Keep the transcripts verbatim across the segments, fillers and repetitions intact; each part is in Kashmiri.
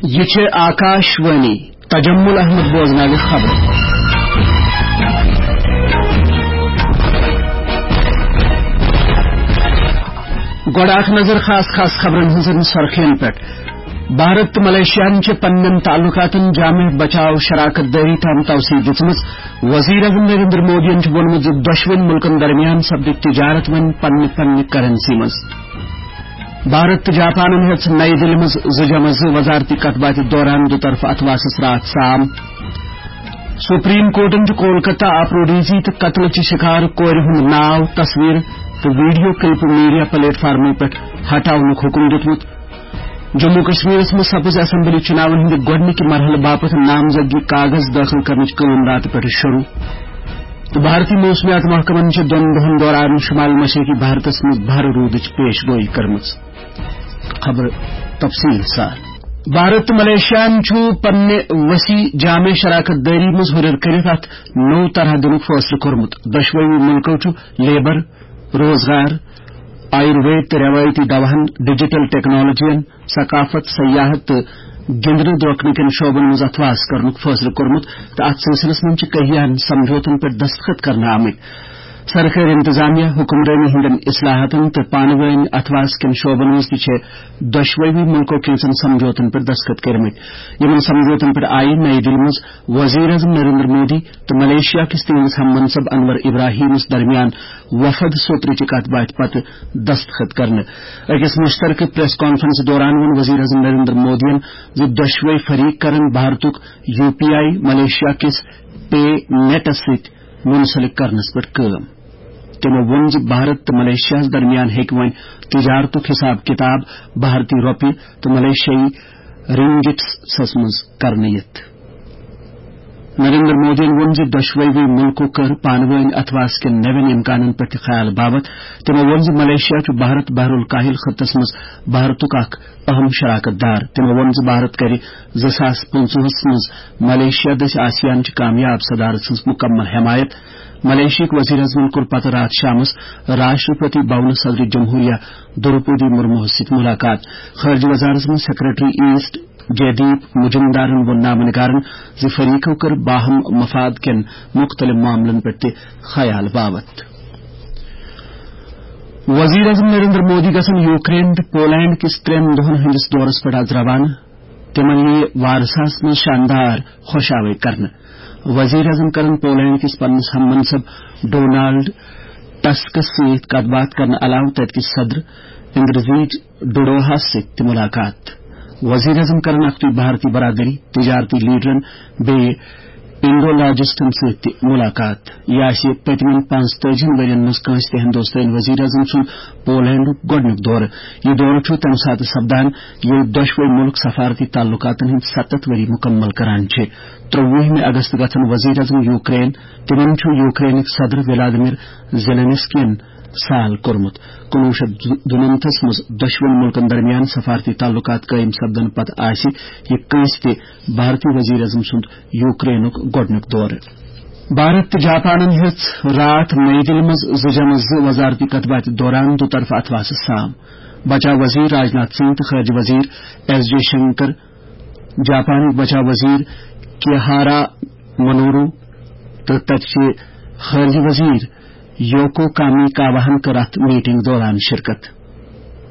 یہِ چھِ آکاش وانی۔ تجمل احمد بوزناوِ خبرٕ۔ گۄڈٕ اکھ نظر خاص خاص خبرن ہٕنٛزن سرخین پٮ۪ٹھ۔ بھارت تہٕ ملیشیاہن چھِ پننٮ۪ن تعلقاتن جامع بچاو شراکت دٲری تام توسیع دِژمٕژ۔ وزیر اعظم نریندر مودیَن چھُ ووٚنمُت زِ دۄشوٕنۍ مُلکن درمیان سپدِ تجارت وۄنۍ پننہِ پننہِ کرنسی منٛز۔ بھارت تہٕ جاپانن ہیٚژ نَیہِ دِلہِ منٛز زٕ جمع زٕ وزارتی کتھ باتھِ دوران دُطرفہٕ اتھواسس راتھ سام۔ سپریم کورٹن چھُ کولکتہ آبروریزی تہٕ قتلہٕ چہِ شکار کورِ ہُنٛد ناو، تصویر تہٕ ویڈیو کلپ میڈیا پلیٹ فارمو پٮ۪ٹھ ہٹاونُک حکم دیُتمُت۔ جموں کشمیرس منٛز سپٕز اسمبلی چُناون ہٕنٛدِ گۄڈٕنِکہِ مرحلہٕ باپتھ نامزدگی کاغذ دٲخل کرنٕچ کٲم راتہٕ پٮ۪ٹھٕ شروع۔ تہٕ بھارتی موسمیات محکمن چھِ دۄن دۄہن دوران شمال مشرقی بھارتس منٛز بھرٕ روٗدٕچ پیش گویی کٔرمٕژ۔ خبر تفصیل سان۔ بھارت تہٕ ملیشیاہن چھُ پننہِ وسیع جامع شراکت دٲری منٛز ہُرٮ۪ر کٔرِتھ اتھ نوٚو طرح دِنُک فٲصلہٕ کوٚرمُت۔ دۄشوٕے مُلکو چھُ لیبر، روزگار، آیُروید تہٕ رٮ۪وٲیتی دواہن، ڈیجیٹل ٹیکنالوجین، ثقافت، سیاحت تہٕ گِنٛدنہٕ درٛوٚکنہٕ کٮ۪ن شعبن منٛز اتھواس کرنُک فٲصلہٕ کوٚرمُت تہٕ اتھ سلسلس منٛز چھِ کیٚنٛہن سمجھوتن پٮ۪ٹھ دستخط کرنہٕ آمٕتۍ۔ سرکٲرۍ انتظامیہ، حکمرٲنی ہٕنٛدٮ۪ن اصلاحاتن تہٕ پانہٕ وٲنۍ اتھواس کٮ۪ن شعبن منٛز تہِ چھِ دۄشوٕے مُلکو کینٛژن سمجھوتن پٮ۪ٹھ دستخط کٔرمٕتۍ۔ یِمن سمجھوتن پٮ۪ٹھ آیہِ نَیہِ دِلہِ منٛز وزیر اعظم نریندر مودی تہٕ ملیشیا کِس تِہنٛدِس ہم منصب انور ابراہیمس درمیان وفد سوترٕچہِ کتھ باتھِ پتہٕ دستخط کرنہٕ۔ أکِس مشترکہٕ پریس کانفرنس دوران ووٚن وزیر اعظم نریندر مودیَن زِ دۄشوے فریق کرن بھارتُک یو پی آئی ملیشیا کِس پے نیٹس سۭتۍ منسلک کرنس پٮ۪ٹھ کٲم۔ تِمو ووٚن زِ بھارت تہٕ ملیشیاہَس درمیان ہیٚکہِ وۄنۍ تجارتُک حساب کتاب بھارتی رۄپیہِ تہٕ ملیشیائی رنگٹس منٛز کرنہٕ یِتھ۔ نریندر مودیَن ووٚن زِ دۄشوٕے مُلکو کٔر پانہٕ وٲنۍ اتھواس کٮ۪ن نوٮ۪ن امکانن پٮ۪ٹھ تہِ خیال باوتھ۔ تِمو ووٚن زِ ملیشیا چھُ بھارت بحر الکاہل خطس منٛز بھارتُک اکھ اہم شراکت دار۔ تِمو ووٚن زِ بھارت کرِ زٕ ساس پٕنٛژٕہَس منٛز ملیشیا دٔسۍ آسیان چہِ کامیاب صدارت سٕنٛز مکمل حمایت۔ ملیشیاہٕکۍ وزیر اعظمن کوٚر پتہٕ راتھ شامس راشٹرپتی بھونس صدر جمہوریہ دروپدی مرموہس سۭتۍ ملاقات۔ خارجہ وزارتس منٛز سیکرٹری ایسٹ جے دیپ مجمدارن ووٚن نامہ نگارن زِ فریقو کٔر باہم مفاد کٮ۪ن مختلف معاملن پٮ۪ٹھ تہِ خیال باوتھ۔ وزیر اعظم نریندر مودی گژھن یوکرین تہٕ پولینڈ کِس ترٛٮ۪ن دۄہن ہٕنٛدِس دورس پٮ۪ٹھ از روانہٕ۔ تِمن یِیہِ وارساہس منٛز شاندار خۄش آوے کرنہٕ۔ وزیر اعظم کرن پولینڈ کِس پننِس ہم منصب ڈونالڈ ٹسکس سۭتۍ کتھ باتھ کرنہٕ علاوٕ تتہِ کِس صدر اندرزیج ڈوڈوہس سۭتۍ تہِ ملاقات۔ وزیر اعظم کرن اکھتُے بھارتی برادری، تجارتی لیڈرن بیٚیہِ انڈولوجسٹن سۭتۍ تہِ ملاقات۔ یہِ آسہِ پٔتمٮ۪ن پانٛژتٲجی ؤرین منٛز کٲنٛسہِ تہِ ہندوستٲنۍ وزیر اعظم سُنٛد پولینڈُک گۄڈٕنیُک دورٕ۔ یہِ دورٕ چھُ تَمہِ ساتہٕ سپدان، ییٚلہِ دۄشوے مُلک سفارتی تعلقاتن ہٕنٛدۍ ستتھ ؤری مُکمل کران چھِ۔ ترٛۆوُہمہِ اگست گژھن وزیر اعظم یوکرین، تِمن چھُ یوکرینٕکۍ صدر ولادیمیر زیلنسکین سال کوٚرمُت۔ کُنوُہ شیٚتھ دُنَمتھس منٛز دۄشوٕنی مُلکن درمیان سفارتی تعلقات قٲیِم سپدنہٕ پتہٕ آسہِ یہِ کٲنٛسہِ تہِ بھارتی وزیر اعظم سُنٛد یوکرینُک گۄڈٕنیُک دورٕ۔ بھارت تہٕ جاپانن ہیٚژ راتھ نئی دِلہِ منٛز زٕ جمع زٕ وزارتی کتھ باتھِ دوران دُطرفہٕ اتھواسہٕ سام۔ بچاو وزیر راجناتھ سنگھ تہٕ خارجہ وزیر ایس جے شنکر، جاپانٕکۍ بچاو وزیر کیہارا منورو تہٕ تتہِ چہِ خارجہ وزیر یوکو کامی کاواہن کٔر اتھ میٹنگ دوران شرکت۔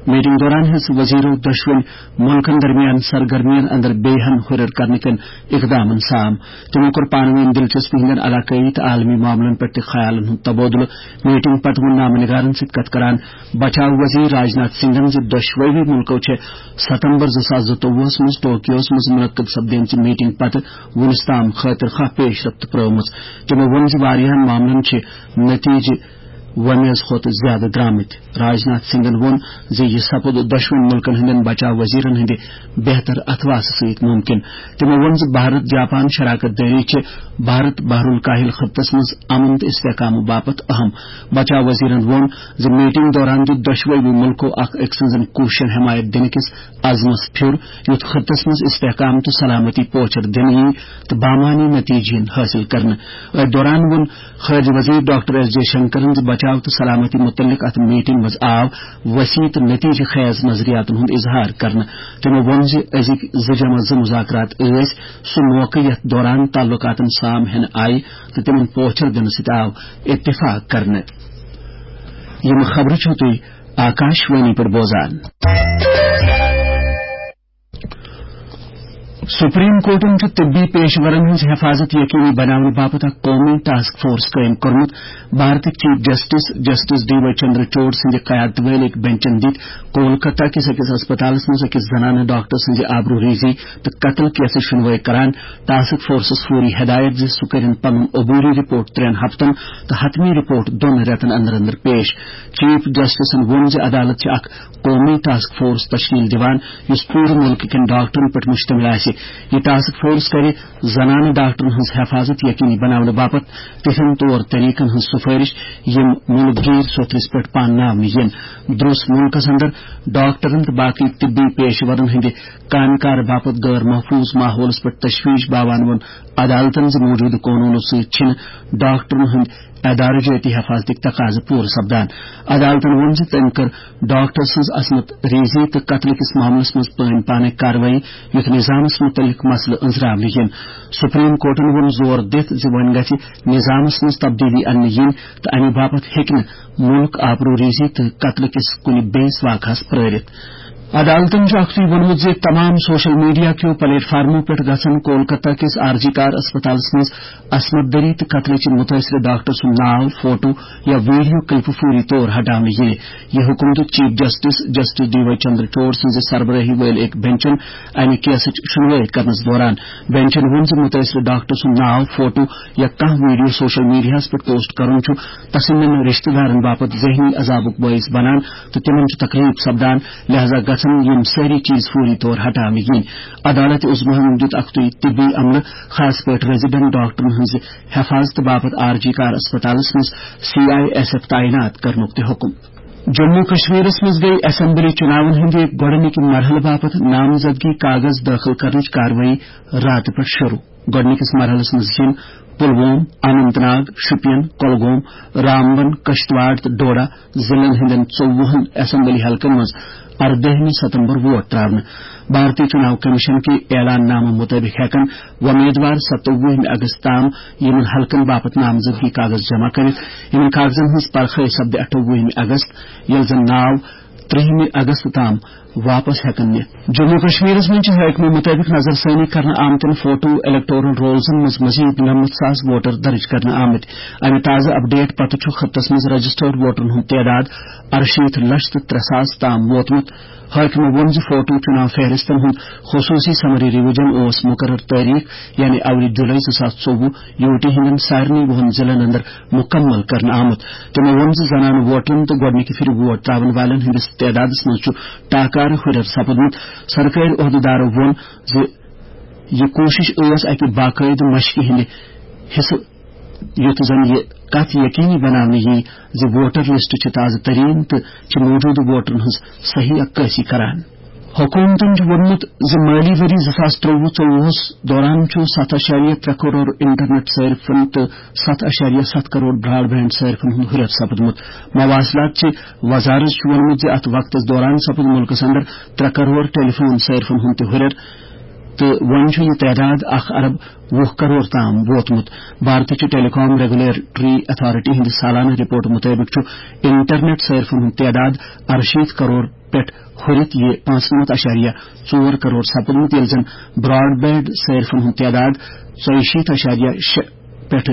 میٹنگ دوران ہیٚژ وزیرو دۄشوٕنۍ مُلکن درمیان سرگرمین اندر بیٚیہِ ہن ہُرٮ۪ر کرنہٕ کٮ۪ن اقدامن سام۔ تِمو کوٚر پانہٕ وٲنۍ دلچسپی ہٕنٛدٮ۪ن علاقٲیی تہٕ عالمی معاملن پٮ۪ٹھ تہِ خیالن ہُنٛد تبادلہٕ۔ میٹنگ پتہٕ ووٚن نامہ نگارن سۭتۍ کتھ کران بچاو وزیر راجناتھ سنگھن زِ دۄشوٕے مُلکو چھِ ستمبر زٕ ساس زٕتووُہس منٛز ٹوکیوس منٛز منعقد سپدیمژِ میٹنگ پتہٕ وُنِس تام خٲطر خواہ پیش رفت پرٲومٕژ۔ تِمو ووٚن زِ واریاہن معاملن چھِ نتیجہٕ وۄمیز کھۄتہٕ زیادٕ درامٕتۍ۔ راجناتھ سنگھن ووٚن زِ یہِ سپُد دۄشوٕنی مُلکن ہٕنٛدٮ۪ن بچاو وزیرن ہٕنٛدِ بہتر اتھواسہٕ سۭتۍ مُمکِن۔ تِمو ووٚن زِ بھارت جاپان شراکت دٲری چھِ بھارت بحر الکاہل خطس منٛز امن تہٕ استحکام باپتھ اہم۔ بچاو وزیرن ووٚن زِ میٹنگ دوران دیُت دۄشوٕے مُلکو اکھ أکۍ سٕنٛزن کوٗششن حمایت دِنہٕ کِس عزمس پھیُر، یُتھ خطس منٛز استحکام تہٕ سلامتی پوچھر دِنہٕ یِیہِ تہٕ بامعنی نتیجہٕ یِن حٲصِل کرنہٕ۔ أتھۍ دوران ووٚن خارجہ وزیر ڈاکٹر ایس جے شنکرن زِ بچاو بچاو تہٕ سلامتی متعلق اتھ میٹنگ منٛز آو وسیع تہٕ نتیجہٕ خیز نظریاتن ہُنٛد اظہار کرنہٕ۔ تِمو ووٚن زِ أزِکۍ زٕ جمع زٕ مذاکرات ٲسۍ سُہ موقعہٕ یتھ دوران تعلقاتن سام ہٮ۪نہٕ آیہِ تہٕ تِمن پوچھر دِنہٕ سۭتۍ آو اتفاق کرنہٕ۔ یِم خبرٕ چھِو تُہۍ آکاش وانی پٮ۪ٹھ بوزان۔ سپریم کورٹن چھُ طبی پیشورن ہٕنٛز حفاظت یقینی بناونہٕ باپتھ اکھ قومی ٹاسک فورس قٲیِم کوٚرمُت۔ بھارتٕکۍ chief justice, justice D Y Chandrachud سٕنٛدِ قیادت وٲلۍ أکۍ بنچن دِتۍ کولکتہ کِس أکِس ہسپتالس منٛز أکِس زنانہٕ ڈاکٹر سٕنٛزِ آبروریزی تہٕ قتل کیسٕچ شنوٲے کران ٹاسک فورسس فوری ہدایت زِ سُہ کٔرِن پنُن عبوری رپورٹ ترٛٮ۪ن ہفتن تہٕ حتمی رپورٹ دۄن رٮ۪تن اندر اندر پیش۔ چیف جسٹسن ووٚن زِ عدالت چھِ اکھ قومی ٹاسک فورس تشکیل دِوان، یُس پوٗرٕ مُلکہٕ کٮ۪ن ڈاکٹرن پٮ۪ٹھ مشتمل آسہِ۔ یہِ ٹاسک فورس کرِ زنانہٕ ڈاکٹرن ہٕنٛز حفاظت یقینی بناونہٕ باپتھ تِتھٮ۪ن طور طریقن ہٕنٛز سفٲرش، یِم مُلک گیٖر سوٚتھرِس پٮ۪ٹھ پانناونہٕ یِن۔ درٛوس مُلکس اندر ڈاکٹرن تہٕ باقٕے طبی پیشورن ہٕنٛدِ کامہِ کار باپتھ غٲر محفوظ ماحولس پٮ۪ٹھ تشویش باوان ووٚن عدالتن زِ موجودٕ قونوٗنو سۭتۍ چھِنہٕ ڈاکٹرن ہٕنٛدۍ ادارٕ جٲتی حفاظتٕکۍ تقاضہٕ پوٗرٕ سپدان۔ عدالتن ووٚن زِ تٔمۍ کٔر ڈاکٹر سٕنٛز عصمت ریزی تہٕ قتلہٕ کِس معاملس منٛز پٲنۍ پانے کاروٲیی، یُتھ نظامس مُتعلق مسلہٕ أنٛزراونہٕ یِن۔ سپریم کورٹن ووٚن زور دِتھ زِ وۄنۍ گژھِ نظامس منٛز تبدیلی اننہٕ یِنۍ تہٕ امہِ باپتھ ہیٚکہِ نہٕ مُلک آبروریزی تہٕ قتلہٕ کِس کُنہِ بیٚیِس واقعس پرٲرِتھ۔ عدالتن چھُ اکھتُے ووٚنمُت زِ تمام سوشل میڈیا کیو پلیٹ فارمو پٮ۪ٹھ گژھن کولکتہ کِس آر جی کار اسپتالس منٛز عصمت دری تہٕ قتلٕچ مُتٲثرٕ ڈاکٹر سُنٛد ناو، فوٹو یا ویڈیو کلپہٕ فوری طور ہٹاونہٕ یِنہِ۔ یہِ حُکُم دیُت chief justice, justice D Y Chandrachud سٕنٛزِ سربرٲہی وٲلۍ أکۍ بنچن امہِ کیسٕچ شنوٲیی کرنس دوران۔ بنچن ووٚن زِ مُتٲثرٕ ڈاکٹر سُنٛد ناو، فوٹو یا کانٛہہ ویڈیو سوشل میڈیاہس پٮ۪ٹھ پوسٹ کرُن چھُ تسٕنٛدٮ۪ن رشتہٕ دارن باپتھ ذہنی عذابُک بٲعث بنان تہٕ تِمن چھُ تکلیف سپدان، لہذا گژھن یِم سٲری چیز فوری طور ہٹاونہٕ یِنۍ۔ عدالت عثمانن دیُت اکھتُے طبی عملہٕ، خاص پٲٹھۍ ریزیڈنٹ ڈاکٹرن ہٕنٛزِ حفاظتہٕ باپتھ آر جی کار اسپتالس منٛز سی آئی ایس ایف تعینات کرنُک تہِ حُکم۔ جموں کشمیرس منٛز گٔیہِ اسمبلی چُناون ہٕنٛدِ گۄڈٕنِکہِ مرحلہٕ باپتھ نامزدگی کاغذ دٲخل کرنٕچ کاروٲیی راتہٕ پٮ۪ٹھ شروع۔ گۄڈٕنِکِس مرحلس منٛز یِن پلووم، اننت ناگ، شوپین، کۄلگوم، رامبن، کشتواڑ تہٕ ڈوڈا ضلعن ہٕنٛدٮ۪ن ژوٚوُہن اسمبلی حلقن منٛز اردٲہمہِ ستمبر ووٹ ترٛاونہٕ۔ بھارتی چُناو کمیشن کہِ اعلان نامہٕ مُطٲبِق ہٮ۪کن وۄمیدوار ستووُہمہِ اگست تام یِمن حلقن باپتھ نامزدگی کاغذ جمع کٔرِتھ۔ یِمن کاغذن ہٕنٛز پرخٲے سپدِ اٹھووُہمہِ اگست، ییٚلہِ زن ناو ترٛہمہِ اگست تام واپس ہٮ۪کن نِتھ۔ جموں کشمیرس منٛز چھِ حٲکمو مُطٲبِق نظر ثٲنی کرنہٕ آمتٮ۪ن فوٹو الیکٹورل رولزن منٛز مزید نَمَتھ ساس ووٹر درٕج کرنہٕ آمٕتۍ۔ امہِ تازٕ اپڈیٹ پتہٕ چھُ خطس منٛز رجسٹرڈ ووٹرن ہُنٛد تعداد ارشیٖتھ لچھ تہٕ ترٛےٚ ساس تام ووتمُت۔ حٲکمو ووٚن زِ فوٹو چُناو فہرستن ہُنٛد خصوٗصی سمری ریویژن اوس مُقرر تٲریخ، یعنی اَوٕرِ جُلے زٕ ساس ژوٚوُہ، یوٗ ٹی ہٕنٛدٮ۪ن سارنٕے وُہن ضلعن اندر مُکمل کرنہٕ آمُت۔ تِمو ووٚن زِ زنانہٕ ووٹرن تہٕ گۄڈٕنِکہِ پھِرِ ووٹ ترٛاون والٮ۪ن ہٕنٛدِس تعدادس منٛز چھُ ٹاکارٕ ہُرٮ۪ر سپُدمُت۔ سرکٲرۍ عہدٕدارو ووٚن زِ یہِ کوٗشش ٲس اکہِ باقٲعدٕ مشقہِ ہٕنٛدِ حصہٕ، یُتھ زن یہِ کتھ یقینی بناونہٕ یِیہِ زِ ووٹر لسٹ چھِ تازٕ ترین تہٕ چھِ موجودٕ ووٹرن ہٕنٛز صحیح عکٲسی کران۔ حکومتن چھُ ووٚنمُت زِ مٲلی ؤری زٕ ساس ترٛوٚوُہ ژوٚوُہس دوران چھُ ستھ اَشاریہ ترٛےٚ کرور انٹرنیٹ صارفن تہٕ ستھ اَشاریہ ستھ کرور براڈ بینڈ صارفن ہُنٛد ہُرٮ۪ر سپُدمُت۔ مواصلات چہِ وزارت چھُ ووٚنمُت زِ اتھ وقتس دوران سپُد مُلکس اندر ترٛےٚ کرور ٹیلی فون صارفن ہُنٛد تہِ ہُرٮ۪ر تہٕ وۄنۍ چھُ یہِ تعداد اکھ ارب وُہ کرور تام ووتمُت۔ بھارتٕچ ٹیلی کام ریگولیٹری اتھارٹی ہٕنٛدِ سالانہٕ رپورٹ مُطٲبِق چھُ انٹرنیٹ صارفن ہُنٛد تعداد ارشیٖتھ کرور پٮ۪ٹھ ہُرِتھ یہِ پانٛژنَمتھ اَشاریہ ژور کرور سپُدمُت، ییٚلہِ زن براڈ بینڈ صارفن ہُنٛد تعداد ژۄیہِ شیٖتھ اَشاریہ شےٚ پٮ۪ٹھ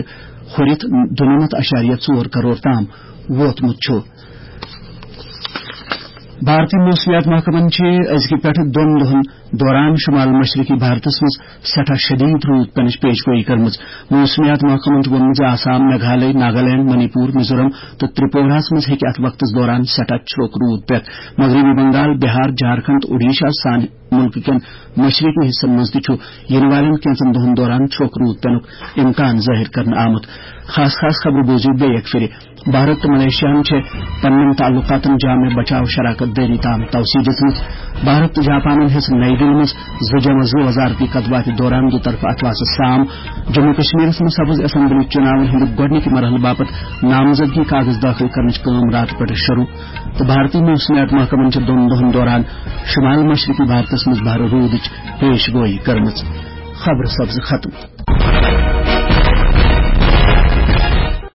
ہُرِتھ دُنَمتھ اَشاریہ ژور کرور تام ووتمُت چھُ۔ بھارتی موسمیات محکمن چھِ أزکہِ پٮ۪ٹھٕ دۄن دۄہن دوران شمال مشرقی بھارتس منٛز سٮ۪ٹھاہ شدید روٗد پینٕچ پیش گویی کٔرمٕژ۔ موسمیات محکمن چھُ ووٚنمُت زِ آسام، میگھالیہ، ناگالینڈ، منی پور، میزورم تہٕ ترپوراہس منٛز ہیٚکہِ اتھ وقتس دوران سٮ۪ٹھاہ چھرٛوک روٗد پٮ۪تھ۔ مغربی بنگال، بہار، جھارکھنڈ تہٕ اوڈیشہ سان مُلکہٕ کٮ۪ن مشرقی حصن منٛز تہِ چھُ یِنہٕ والٮ۪ن کینٛژن دۄہن دوران چھرٛوک روٗد پینُک امکان ظٲہِر کرنہٕ آمُت۔ خاص خاص خبرٕ بوٗزِو بیٚیہِ اکہِ پھِرِ۔ بھارت تہٕ ملیشیاہن چھِ پننٮ۪ن تعلقاتن جامع بچاو شراکت دٲری تام توسیع دِژمٕژ۔ بھارت تہٕ جاپانن ہیٚژ نئی دِلہِ منٛز زٕ جمع زٕ وزارتی کتھ باتھِ دوران دُطرفہٕ اثاثہٕ سام۔ جموں کشمیرس منٛز سپٕز اسمبلی چُناون ہٕنٛدِ گۄڈٕنِکہِ مرحلہٕ باپتھ نامزدگی کاغذ دٲخل کرنٕچ کٲم راتہٕ پٮ۪ٹھٕ شروع۔ تہٕ بھارتی موسمیات محکمن چھِ دۄن دۄہن دوران شمال مشرقی بھارتس منٛز بھرٕ روٗدٕچ پیش گویی کٔرمٕژ۔ خبرٕ سپٕز ختم۔